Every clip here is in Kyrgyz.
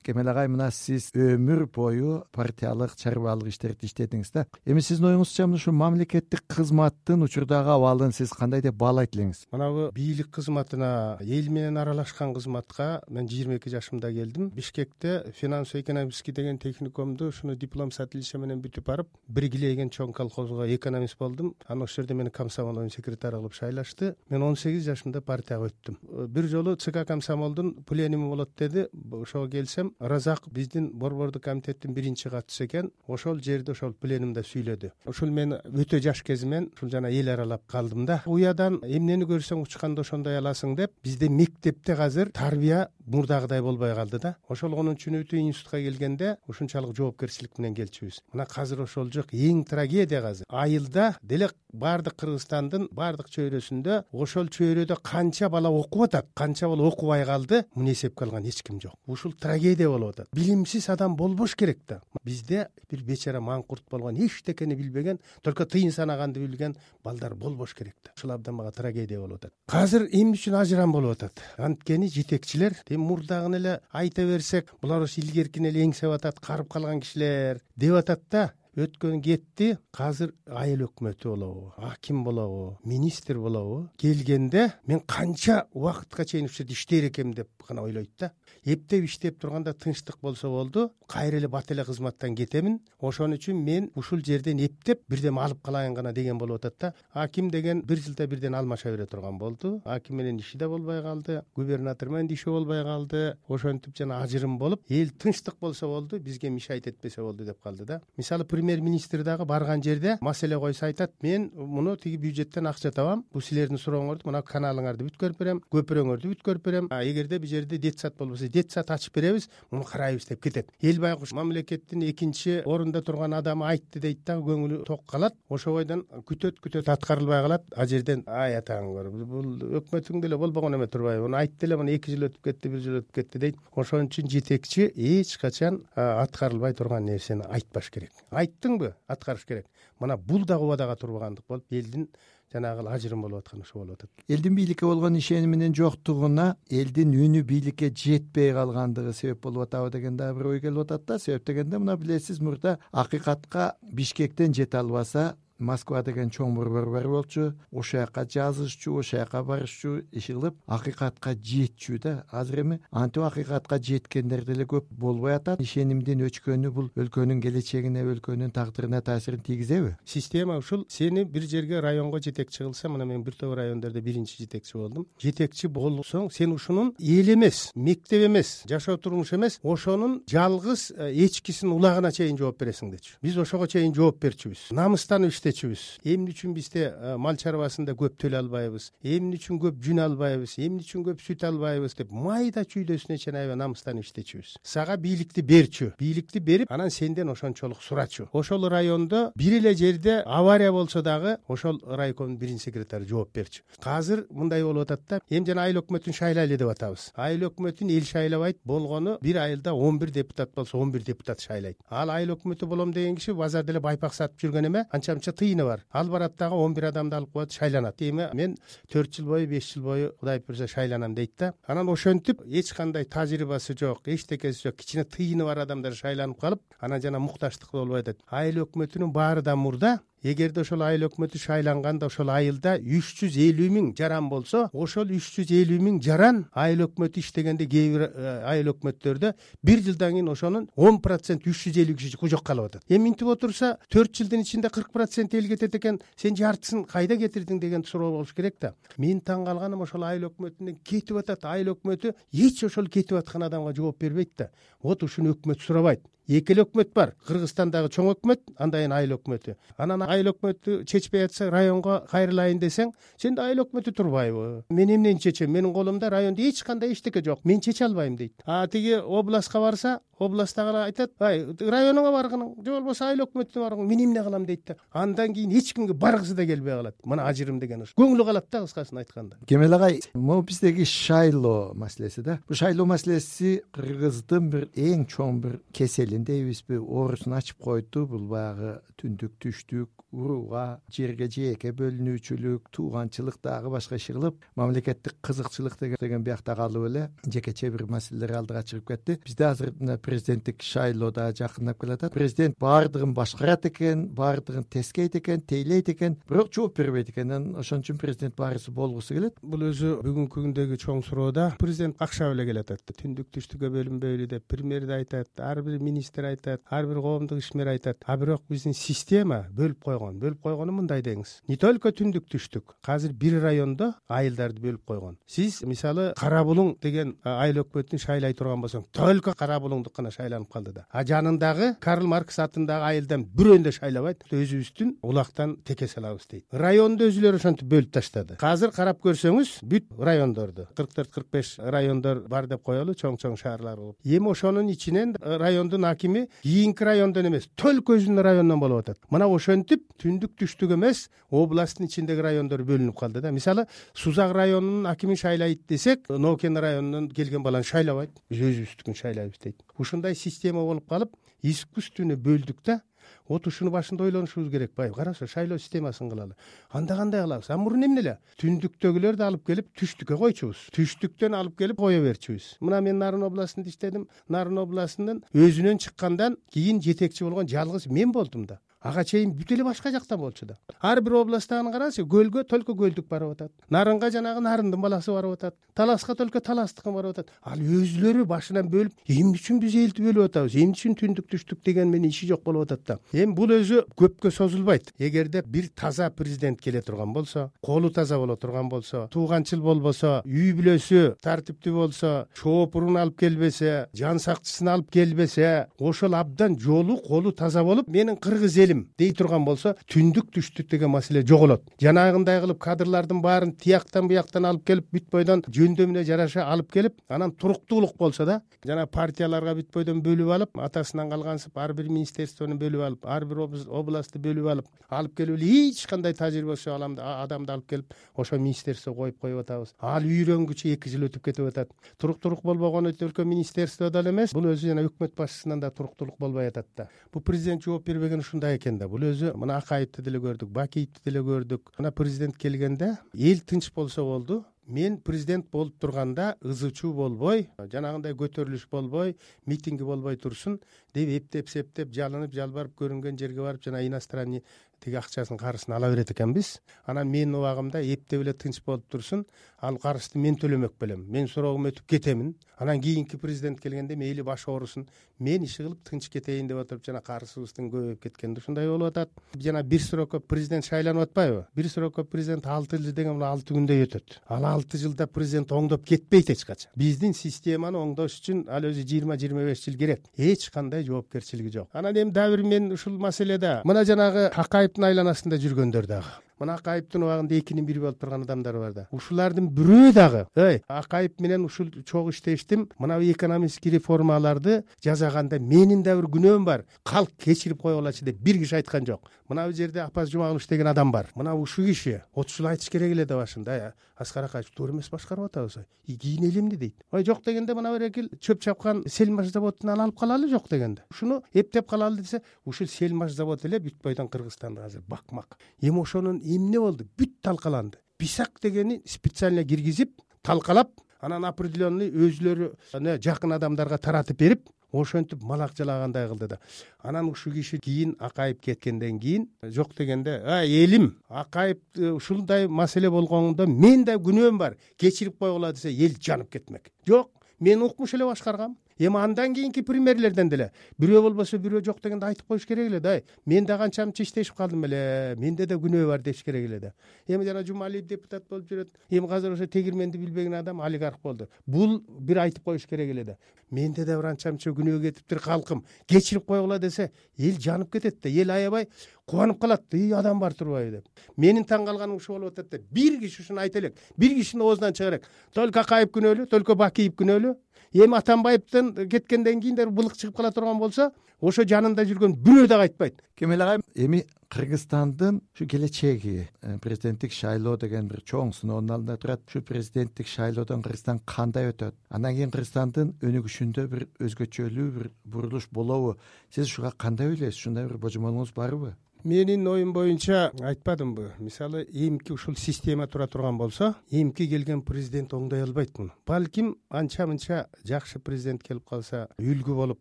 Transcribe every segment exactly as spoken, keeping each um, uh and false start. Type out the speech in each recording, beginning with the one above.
Кемел агай, мына сиз өмүр бою партиялык, чарбалык иштерди иштедиңиз да. Эми сиздин оюңузча ушу мамлекеттик кызматтын учурдагы абалын сиз кандай деп баалайт элеңиз? Мынабу бийлик кызматына, эл менен аралашкан кызматка мен жыйырма эки жашымда келдим. Бишкекте финансово-экономический деген техникумду ушуну диплом с отличием менен бүтүп барып, Биргиле деген чоң колхозго экономист болдум. Анан ошол жерде мени комсомол секретары кылып шайлашты. Мен он сегиз жашымда партияга өттүм. Бир жолу ЦК комсомолдун пленуми болот деди. Ошого келсем, Разак биздин борбордук комитеттин биринчи катчысы экен. Ошол жерде ошол пленумда сүйлөдү. Ошол мен өтө жаш кезимен ушул жана эл аралап калдым да. Уядан эмнени көрсөң учканда ошондой аласың деп, бизде мектепте азыр тарбия мурдагыдай болбой калды да. Ошол онунчу үнүтү институтка келгенде ушунчалык жоопкерчилик менен келчүбүз. Мына азыр ошол жок. Эң трагедия азыр. Айылда деле бардык Кыргызстандын бардык чөйрөсүндө ошол чөйрөдө канча бала окуп атат, канча бала окубай калды, муну эсепке алган эч ким жок. Ушул трагедия болуп атат. Билимсиз адам болбош керек да. Бизде бир бечара маңкурт болгон, эчтекени билбеген, только тыйын санаганды билген балдар болбош керек да. Ушул абдан мага трагедия болуп атат. Азыр эмне үчүн ажырам болуп атат? Анткени жетекчилер, эми мурдагыны эле айта берсек, булар ошо илгеркини эле эңсеп атат, карып калган кишилер деп атат да. Өткөн кетти. Азыр айыл өкмөтү болобу, аким болобу, министр болобу келгенде мен канча убакытка чейин ушул жерде иштейр экем деп гана ойлойт да. Эптеп иштеп турганда тынчтык болсо болду, кайра эле бат эле кызматтан кетемин. Ошон үчүн мен ушул жерден эптеп бирдем алып калайын гана деген болуп атат да. Аким деген бир жылда бирден алмаша бере турган болду. Аким менен иши да болбой калды, губернатор менен иши болбой калды. Ошентип жана ажырым болуп, эл тынчтык болсо болду, бизге мешайт этпесе болду деп калды да. Мисалы премьер-министр дагы барган жерде маселе койсо айтат, мен муну тиги бюджеттен акча табам, бул силердин сурооңорду, мына каналыңарды бүткөрүп берем, көпүрөңөрдү бүткөрүп берем. А эгерде бул жерде детсад болбосо, детсад ачып беребиз, муну карайбыз деп кетет. Эл байкуш мамлекеттин экинчи орунда турган адамы айтты дейт да, көңүлү ток калат. Ошо бойдон күтөт күтөт аткарылбай калат. А жерден ай атаңыр, бул өкмөтүң деле болбогон эме турбайбы? Муну айтты эле, муну эки жыл өтүп кетти, бир жыл өтүп кетти дейт. Ошон үчүн жетекчи эч качан аткарылбай турган нерсени айтпаш керек. Айттыңбы? Аткарыш керек. Мына бул дагы убадага турбагандык болуп, элдин жанагы ажырым болуп аткан ошо болуп атат. Элдин бийликке болгон ишениминин жоктугуна элдин үнү бийликке жетпей калгандыгы себеп болуп атабы деген дагы бир ой келип атат да. Себеп дегенде мына билесиз, мурда акыйкатка Бишкектен жете албаса Москва деген чоң борбор бар болчу, ошол жака жазышчу, ошол жака барышчу, иши кылып акыйкатка жетчү да. Азыр эми антип акыйкатка жеткендер деле көп болбой атат. Ишенимдин өчкөнү бул өлкөнүн келечегине, өлкөнүн тагдырына таасирин тийгизеби? Система ушул. Сени бир жерге районго жетекчи кылса, мына мен бир топ райондордо биринчи жетекчи болдум. Жетекчи болсоң, сен ушунун эл эмес, мектеп эмес, жашоо турмуш эмес, ошонун жалгыз эчкисин улагына чейин жооп бересиң дечү. Биз ошого чейин жооп берчүбүз. Намыстанып эмне үчүн бизде мал чарбасында көп төлөй албайбыз, эмне үчүн көп жүн албайбыз, эмне үчүн көп сүт албайбыз деп майда чүйдөсүнө чейин аябай намыстанып иштечүбүз. Сага бийликти берчү, бийликти берип, анан сенден ошончолук сурачу. Ошол райондо бир эле жерде авария болсо дагы ошол райкомдун биринчи секретары жооп берчү. Азыр мындай болуп атат да, эми жана айыл өкмөтүн шайлайлы деп атабыз. Айыл өкмөтүн эл шайлабайт, болгону бир айылда он бир депутат болсо он бир депутат шайлайт. Ал айыл өкмөтү болом деген киши базарда эле байпак сатып жүргөн эме, анча-мынча тыйыны бар. Ал барат дагы он бир адамды алып коет, шайланат. Эми мен төрт жыл бою, беш жыл бою Кудай буйрса шайланам дейт да. Анан ошентип эч кандай тажрыйбасы жок, эчтекеси жок, кичине тыйыны бар адамдар шайланып калып, анан жана мукташтык болбой атат. Айыл өкмөтүнүн баары да мурда. Эгерде ошол айыл өкмөтү шайланганда ошол айылда үч жүз элүү миң жаран болсо, ошол үч жүз элүү миң жаран айыл өкмөтү иштегенде кээ бир айыл өкмөттөрдө бир жылдан кийин ошонун он процент үч жүз элүү киши кужок калып атат. Эми минтип отурса төрт жылдын ичинде кырк процент эл кетет экен, сен жартысын кайда кетирдиң деген суроо болуш керек да. Мен таң калганым ошол айыл өкмөтүнөн кетип атат. Айыл өкмөтү эч ошол кетип аткан адамга жооп бербейт да. Вот ушуну өкмөт сурабайт. Эки эле өкмөт бар. Кыргызстандагы чоң өкмөт, андан кийин айыл өкмөтү. Анан айыл өкмөтү чечпей атса, районго кайрылайын десең, сенде айыл өкмөтү турбайбы? Мен эмнени чечем? Менин колумда райондо эч кандай эчтеке жок. Мен чече албайм дейт. А тиги областка барса, областтагы айтат, ай районуңа баргының же болбосо айыл өкмөтүнө баргың, мен эмне кылам дейт да. Андан кийин эч кимге баргысы да келбей калат. Мына ажырым деген ушу көңүлү калат да, кыскасын айтканда. Кемел агай, могу биздеги шайлоо маселеси да. Бул шайлоо маселеси кыргыздын бир эң чоң бир кеселин дейбизби, оорусун ачып койду. Бул баягы түндүк түштүк урууга, жерге жээкке бөлүнүүчүлүк, тууганчылык дагы башка иши кылып, мамлекеттик кызыкчылык деген биякта калып эле жекече бир маселелер алдыга чыгып кетти. Бизде азыр мына президенттик шайлоо да жакындап келатат. Президент баардыгын башкарат экен, баардыгын тескейт экен, тейлейт экен, бирок жооп бербейт экен. Ошон үчүн президент баарысы болгусу келет. Бул өзү бүгүнкү күндөгү чоң суроо да. Президент акча беле келет атты. Түндүк түштүккө бөлүнбөйлү деп премьер да айтат, ар бир министр айтат, ар бир коомдук ишмер айтат. А бирок биздин система бөлүп койгон. Бөлүп койгону мындай деңиз. Не только түндүк түштүк. Азыр бир райондо айылдарды бөлүп койгон. Сиз мисалы Кара Булуң деген айыл өкмөтүн шайлай турган болсоң, только Кара Булуңдук гана шайланып калды да. А жанындагы Карл Маркс атындагы айылдан бирөөнү да шайлабайт. Өзүбүздүн улактан теке салабыз дейт. Районду өзүлөрү ошентип бөлүп таштады. Азыр карап көрсөңүз, бүт райондорду кырк төрт кырк беш райондор бар деп коелу, чоң-чоң шаарлар болуп. Эми ошонун ичинен райондун акими кийинки райондон эмес, только өзүнүн районунан болуп атат. Мына ошентип түндүк түштүк эмес, областтын ичиндеги райондор бөлүнүп калды да. Мисалы Сузак районунун акими шайлайт десек, Нокен районунан келген баланы шайлабайт. Биз өзүбүздүкүн шайлайбыз дейт. Ушундай система болуп калып, искусственный бөлдүк да. Вот ушуну башында ойлонушубуз керек. Бай, карашы, шайлоо системасын кылалы. Анда кандай кылабыз? А мурун эмне эле? Түндүктөгүлөрдү алып келип түштүккө койчубуз. Түштүктөн алып келип кое берчүбүз. Мына мен Нарын областында иштедим. Нарын областынын өзүнөн чыккандан кийин жетекчи болгон жалгыз мен болдум да. Ага чейин бүт эле башка жактан болчу да. Ар бир областтагын карашы, көлгө только көлдүк барып атат. Нарынга жанагы Нарындын баласы барып атат. Таласка только Таластыкын барып атат. Ал өзүлөрү башынан бөлүп, эмне үчүн биз элди бөлүп атабыз? Эмне үчүн түндүк түштүк деген менен иши жок болуп атат да. Эми бул өзү көпкө созулбайт. Эгерде бир таза президент келе турган болсо, колу таза боло турган болсо, тууганчыл болбосо, үй бүлөсү тартиптүү болсо, чоопурун алып келбесе, жан сакчысын алып келбесе, ошол абдан жолу, колу таза болуп, менин кыргыз элим дей турган болсо, түндүк түштүк деген маселе жоголот. Жанагындай кылып кадрлардын баарын тияктан буяктан алып келип, бүт бойдон жөндөмүнө жараша алып келип, анан туруктуулук болсо да, жана партияларга бүт бойдон бөлүп алып, атасынан калгансып ар бир министерствону бөлүп алып, ар бир областты бөлүп алып, алып келип эле эч кандай тажрыйбасы адамды алып келип, ошо министерство коюп коюп атабыз. Ал үйрөнгүчө эки жыл өтүп кетип атат. Туруктуулук болбогону только министерстводо эле эмес, бул өзү жана өкмөт башчысынан да туруктуулук болбой атат да. Бул президент жооп бербеген ушундай экен да. Бул өзү мына Акаевди деле көрдүк, Бакиевди деле көрдүк. Мына президент келгенде эл тынч болсо болду. Мен президент болуп турганда ызычуу болбой, жанагындай көтөрүлүш болбой, митинги болбой турсун деп эптеп септеп, жалынып, жалбарып көрүнгөн жерге барып жана иностранный тиги акчасын карысын ала берет экенбиз. Анан менин убагымда эптеп эле тынч болуп турсун, ал карызды мен төлөмөк белем. Мен сороогум өтүп кетемин. Анан кийинки президент келгенде мейли баш оорусун, мен иши кылып тынч кетейин деп отуруп, жана карызыбыздын көбөйүп кеткенде ушундай болуп атат. Жана бир срокко президент шайланып атпайбы? Бир срокко президент алты жыл деген бул алты күндө өтөт. Ал алты жылда президент оңдоп кетпейт эч качан. Биздин системаны оңдош үчүн ал өзү жыйырма жыйырма беш жыл керек. Эч кандай жоопкерчилиги жок. Анан эми дагы бир мен ушул маселеде мына жанагы Акаевдин айланасында жүргөндөр дагы. Мына Акаевдин убагында экинин бири болуп турган адамдар бар да. Ушулардын бирөө дагы, эй, Акаев менен ушул чогуу иштештим. Мына экономический реформаларды жасаганда менин да бир күнөөм бар. Калк кечирип кое алачы деп бир киши айткан жок. Мына бул жерде Апаз Жумагулович деген адам бар. Мына ушул киши отуз жыл айтыш керек эле да башында. Аскар Акаевич туура эмес башкарып атабыз. И кийин эл эмне дейт? Ой, жок дегенде мына бир экил чөп чапкан Сельмаш заводунан алып калалы жок дегенде. Ушуну эптеп калалы десе, ушул Сельмаш завод эле бүт бойдон Кыргызстанда азыр бакмак. Эми ошонун эмне болду? Бүт талкаланды. Писак дегени специально киргизип, талкалап, анан определенный өзүлөрү жакын адамдарга таратып берип, ошентип малак жалагандай кылды да. Анан ушул киши кийин Акаев кеткенден кийин жок дегенде, а элим, Акаев ушундай маселе болгондо мен да күнөөм бар, кечирип койгула десе, эл жанып кетмек. Жок, мен укмуш эле башкаргам. Эми андан кийинки премьерлерден деле бирөө болбосо бирөө жок дегенде айтып коюш керек эле да. Мен да канча мынча иштешип калдым эле. Менде да күнөө бар деш керек эле да. Эми жана Жумалиев депутат болуп жүрөт. Эми азыр ошо тегирменди билбеген адам олигарх болду. Бул бир айтып коюш керек эле да. Менде да бир анча мынча күнөө кетиптир калкым. Кечирип койгула десе, эл жанып кетет да. Эл аябай кубанып калат. И адам бар турбайбы деп. Менин таң калганым ушул болуп атат да. Бир киши ушуну айта элек. Бир кишинин оозунан чыга элек. Только Акаев күнөөлүү, только Бакиев күнөөлүү. Эми Атамбаевден кеткенден кийин да былык чыгып кала турган болсо, ошо жанында жүргөн бирөө да кайтпайт. Кемел агай, эми Кыргызстандын ушу келечеги, президенттик шайлоо деген бир чоң сыноонун алдында турат. Ушу президенттик шайлоодон Кыргызстан кандай өтөт? Андан кийин Кыргызстандын өнүгүшүндө бир өзгөчөлүү бир бурулуш болобу? Сиз ушуга кандай ойлойсуз? Ушундай бир божомолуңуз барбы? Менин оюм боюнча айтпадымбы, мисалы эмки ушул система тура турган болсо, эмки келген президент оңдой албайт муну. Балким анча-мынча жакшы президент келип калса, үлгү болуп,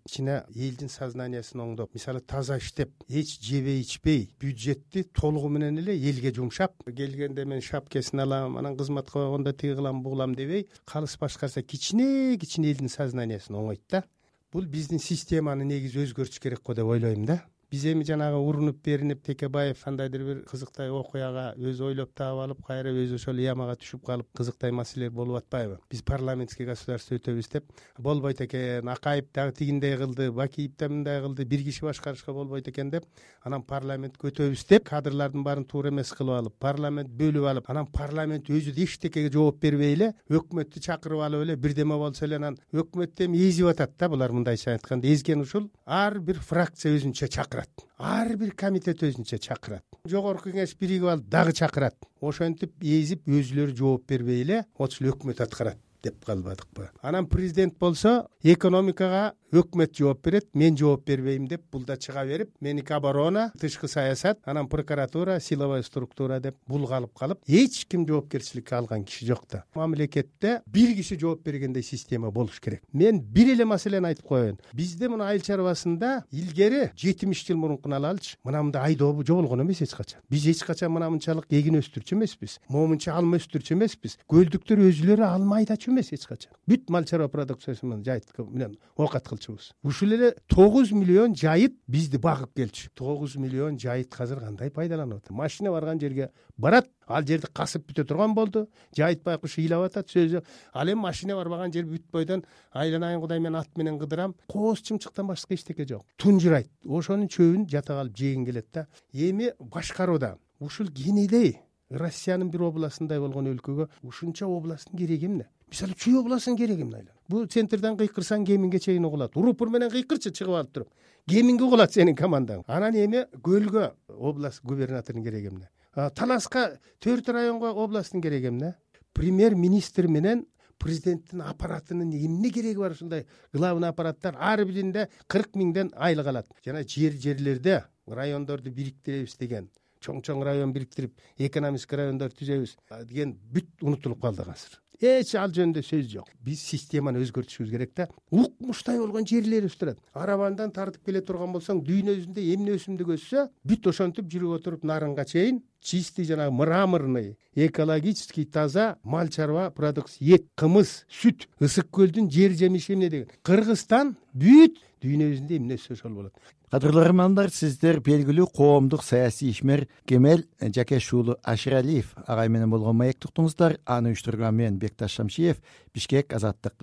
ичине элдин сознаниясын оңдоп, мисалы таза иштеп, эч жебей ичпей, бюджетти толугу менен эле элге жумшап, келгенде мен шапкесин алам, анан кызматка койгондо тиги кылам, бугулам дебей, калыс башкарса кичине-кичине элдин сознаниясын оңойт да. Бул биздин системаны негизи өзгөртүш керек го деп ойлойм да. Биз эми жанагы урунуп беринип Текебаев кандайдыр бир кызыктай окуяга өзү ойлоп таап алып, кайра өзү ошол ямага түшүп калып, кызыктай маселелер болуп атпайбы? Биз парламентский государство өтөбүз деп болбойт экен, Акаев дагы тигиндей кылды, Бакиев да мындай кылды, бир киши башкарышка болбойт экен деп, анан парламентке өтөбүз деп, кадрлардын баарын туура эмес кылып алып, парламент бөлүп алып, анан парламент өзү да эчтекеге жооп бербей эле, өкмөттү чакырып алып эле бирдеме болсо эле анан өкмөттү эми эзип атат да. Булар мындайча айтканда эзген ушул ар бир фракция өзүнчө чакырат. Ар бир комитет өзүнчө чакырат. Жогорку кеңеш биригип алып дагы чакырат. Ошентип эзип өзүлөрү жооп бербей эле ошол өкмөт аткарат деп калбадыкпы? Анан президент болсо экономикага өкмөт жооп берет, мен жооп бербейм деп бул да чыга берип, меники оборона, тышкы саясат, анан прокуратура, силовой структура деп булгалып калып, эч ким жоопкерчиликке алган киши жок да. Мамлекетте бир киши жооп бергендей система болуш керек. Мен бир эле маселени айтып коеюн. Бизде мына айыл чарбасында илгери жетимиш жыл мурункуну алалычы, мына мындай айдоо жоболгон эмес эч качан. Биз эч качан мына мынчалык эгин өстүрчү эмеспиз, момунча алма өстүрчү эмеспиз. Көлдүктөр өзүлөрү алма айдачу эмес эч качан. Бүт мал чарба продукциясы менен жайыт менен оокат кылчубуз. Ушул эле тогуз миллион жайыт бизди багып келчү. тогуз миллион жайыт азыр кандай пайдаланып атат? Машина барган жерге барат, ал жерди касып бүтө турган болду. Жайыт байкуш ыйлап атат сөзү. Ал эми машина барбаган жер бүт бойдон айланайын Кудай, мен ат менен кыдырам. Кооз чымчыктан башка эчтеке жок. Тунжурайт. Ошонун чөбүн жата калып жегин келет да. Эми башкарууда ушул кенедей Россиянын бир областындай болгон өлкөгө ушунча областтын кереги эмне? Мисалы Чүй областынын кереги эмне? Бул центрден кыйкырсаң Кеминге чейин угулат. Урупур менен кыйкырчы чыгып алып туруп. Кеминге угулат сенин командаң. Анан эми Көлгө область губернаторунун кереги эмне? Таласка төрт районго областтын кереги эмне? Премьер-министр менен президенттин аппаратынын эмне кереги бар ушундай главный аппараттар? Ар биринде кырк миңден айлык алат. Жана жер-жерлерде райондорду бириктиребиз деген, чоң-чоң район бириктирип, экономический райондор түзөбүз деген бүт унутулуп калды азыр. Эч ал жөнүндө сөз жок. Биз системаны өзгөртүшүбүз керек да. Укмуштай болгон жерлерибиз турат. Арабандан тартып келе турган болсоң, дүйнөсүндө эмне өсүмдүк өссө, бүт ошентип жүрүп отуруп нарынга чейин чистый жанагы мраморный, экологический таза мал чарба продукция, эт, кымыз, сүт, ысык көлдүн жер жемиши эмне деген. Кыргызстан бүт дүйнөсүндө эмне өссө ошол болот. Кадырлуу көрөрмандар, сиздер белгилүү коомдук саясий ишмер Кемел Жакеш уулу Аширалиев агай менен болгон маектик уктуңуздар. Аны уюштурган мен Бекташ Шамшиев, Бишкек, Азаттык.